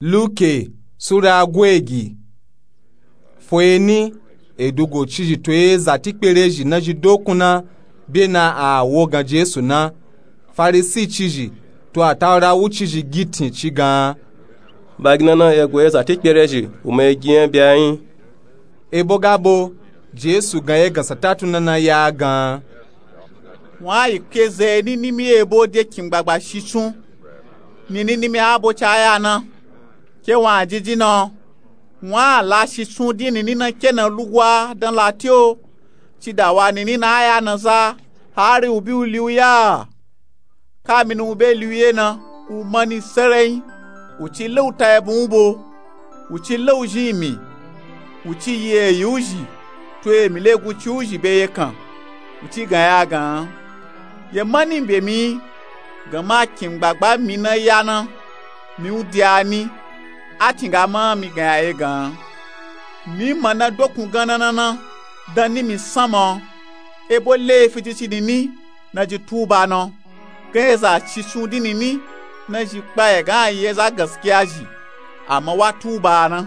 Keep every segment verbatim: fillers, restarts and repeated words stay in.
Luke sura gweji. Fweni edugo cizhi to eza tikperezhi nazhi dokun na bena a wogan Jesu na. Farisi cizhi to atawura wucizhi gitin ci gan. Baginana ego eza tikperezhi uma egi nya byayin. Ebo gabo Jesu gan egan satatu nana ya gan. Wun a yi keze ni nimi ebo de kin gbagba shitsun. Nini nimi abo ca ya na. Ke wun a jiji na. Wun a la shitsun din nini na ke na lugwa dan lati o. Ci da wa nini na a ya na za hari u bi u li u ya. Kamini u be li u ye na u mani serenyi. U ci lauta ebun u bo. U ci lauzhi mi. U ci yi eyi uzhi to emi legun ci uzhi be ye kan. U ci gan ya gan. Ye mani be mi. Gan ma kin gbagba mi na ya na. Mi u de a ni. A cin ga ma mi gan ya ye gan. Mi ma na dokun gan na na na dan ni mi san ma. Ebo lefi ci ci nini na ji tuba na. Gan eza shitsun din nini na zhi kpa ye gan a yi eza gaskiya zhi. Ama wa tuba na.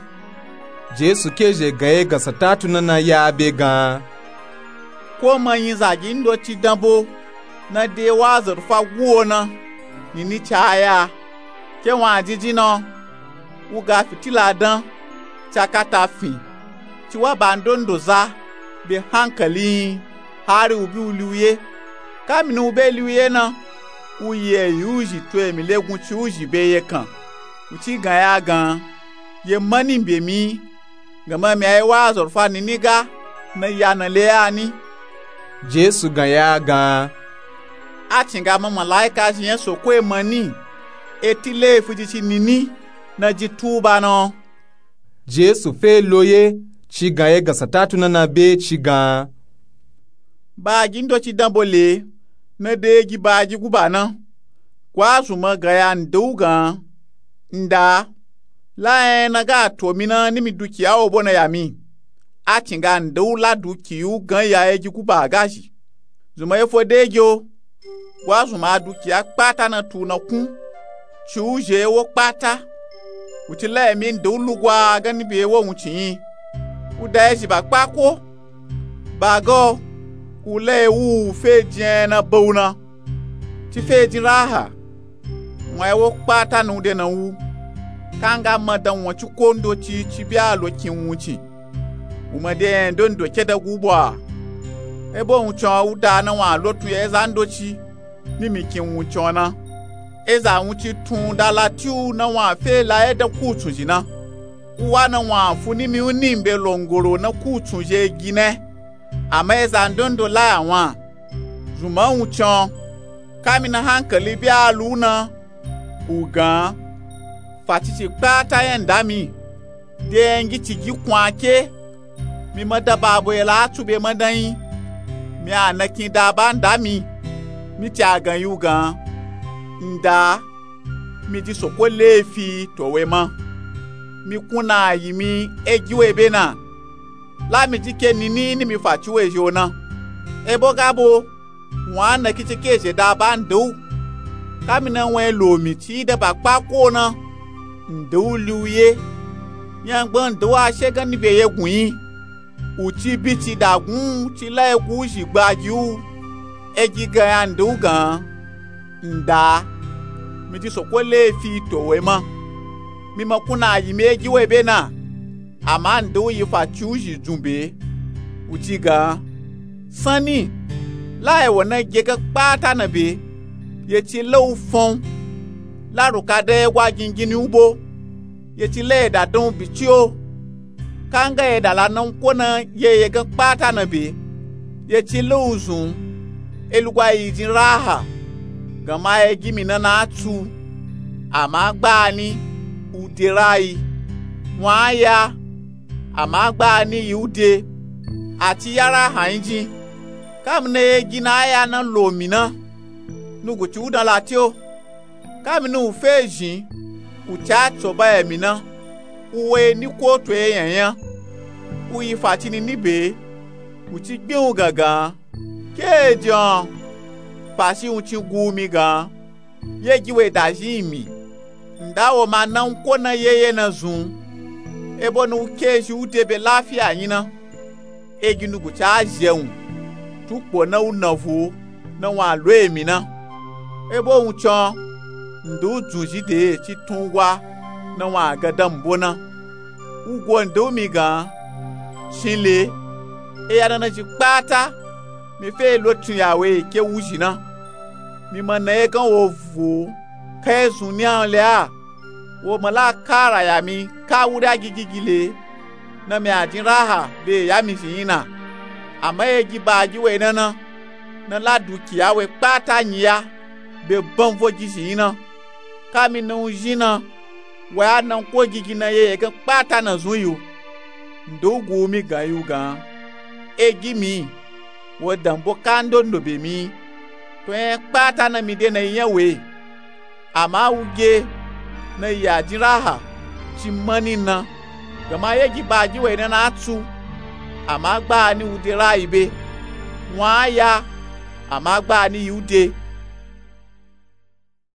Jesu ke zhe gan egan satatu nana ya be gan. Ko ma yin zagi ndoci dan bo na de wa zarufa guwo na. Nini ca ya. Ke wun a jiji na. U ga fitila dan. Ca kata fin. Ci wa ba ndondo za be hankali yin. Hari u bi u li u ye. Kamini u be li u ye na. U yi eyi uzhi to emi legun ci uzhi be ye kan. U ci gan ya gan. Ye mani be mi. Gan ma mi a yi wa zarufa nini ga na ya na le ya ni. Jesu gan ya gan. A cin ga ma malaika zhi nya soko e mani. Eti lefi ci ci nini na ji tuba na. Jesu fe lo ye ci gan egan satatu nana be ci gan. Baagi ndoci dan bo le na de egi baagi guba na. Gwa zun ma gan ya nde u gan. Nda. La nya na ga to mi na ni mi dukiya o bo na ya mi. A cin ga nde u la dukiya u gan ya egi guba a ga zhi. Zun ma ye fo de egi o. Gwa zun ma a dukiya kpata na tu na kun. Ci u zhe ye wo kpata. U ci la emi nde u lugwa gani be ye wo wun ci yin. U da ye zhi ba kpa ko. Ba ga o. U la ye wu u fe jin nya na ba u na. Ci fe jin raha. Wun a ye wo kpata na u de na wu. Ka nga ma dan wun ci ko ndoci ci bi a lo kin wun ci. U ma de nya ndondo ke da gu bo a. Ebo wun ci o u da na wun a lo tun ye eza ndoci. Ni mi kin wun ci o na. Eza wun ci tun da lati u na wun a fe la ye da kutsun zhi na. U wa na wun a fu ni mi u ni mbe longoro na kutsun zhi egi ne. Ama eza ndondo la ya wun a. Zun ma wun ci o. Kamini hankali bi a lu u na. U gan. Fa ci ci kpata nya nda mi. De nya ngi ci gi kun a ke. Mi ma da ba bo ye la a tsu be ma dan yin. Mi a na kin da ba nda mi. Mi ci a gan yi u gan. Nda. Mi ji soko lefi to we ma. Mi kun na yi mi egi we be na. La mi ji ke nini ni mi fa ci we zhi o na. Ebo ga bo. Wun a na kici ke zhe da ba nde u. Kamina wun a lo mi ci da ba kpa ko na. Nde u li u ye. Nyangban nde u a she gani be ye gun yi. U ci bi ci da gun ci la ye gu u zhi gba gi u. Egi gan ya nde u gan. Nda. Mi ji soko lefi to we ma. Mi ma kun na yi mi egi we be na. Ama nde u yi fa ci u zhi dzun be. U ci gan. Sanni, la ye wo na ge ga kpata na be, ye ci la u fon. La ruka da ye gwa gingini u bo. Ye ci la ye da dan u bi ci o. Ka nga ye da la na u ko na ye ye ga kpata na be. Ye ci la u zun. E lugwa yi jin raha. Gama ye gi mi na na a tsu. Ama gbani, u de rayi. Wun a ya. Ama gbani yi u de, a ci ya raha yin jin. Kamina ye gi na a ya na lo mi na. Nugu ci u dan lati o. Kamina u fe zhin, u ci a tso ba ye mi na. U we ni ko to ye yan yan. U yi fa ci nini be. U ci gbin u gangan. Ke e jan. Fa ci u ci gu mi gan. Ye gi we da zhin mi. Nda wo ma na nko na yeye na zun, ebo na u ke zhi u de be lafiya nyina. Egi nuguci a zhe wun, tukpo na u na vo na wun a lo emi na. Ebo wun can, nda u dzun zhi de ci tun ugwa na wun a ga dambo na. Ugo nda u mi gan, shin le, eya nana zhi kpata mi fe lo tun ya we ke wu zhi na. Mi ma na ye gan wo vo ka ye zun ni a le a, wo ma la kara ya mi ka wuri a gigigile na mi a jin raha be ya mi zhi yin na. Ama egi ba gi we nana na la dukiya we kpata nyi ya be banvo gi zhi yin na. Ka mi na u zhi na, wa ya na nko gigi na yeye gan kpata na zun yi u. Nda u gu u mi gan yi u gan, egi mi, wo dambo ka ndondo be mi, to nya kpata na mi de na yi nya we. Ama u ge na yi a jin raha ci mani na, gama yegi ba gi we nana a tsu. Ama gba ni u de rayi be, wun a ya, ama gba ni yi u de.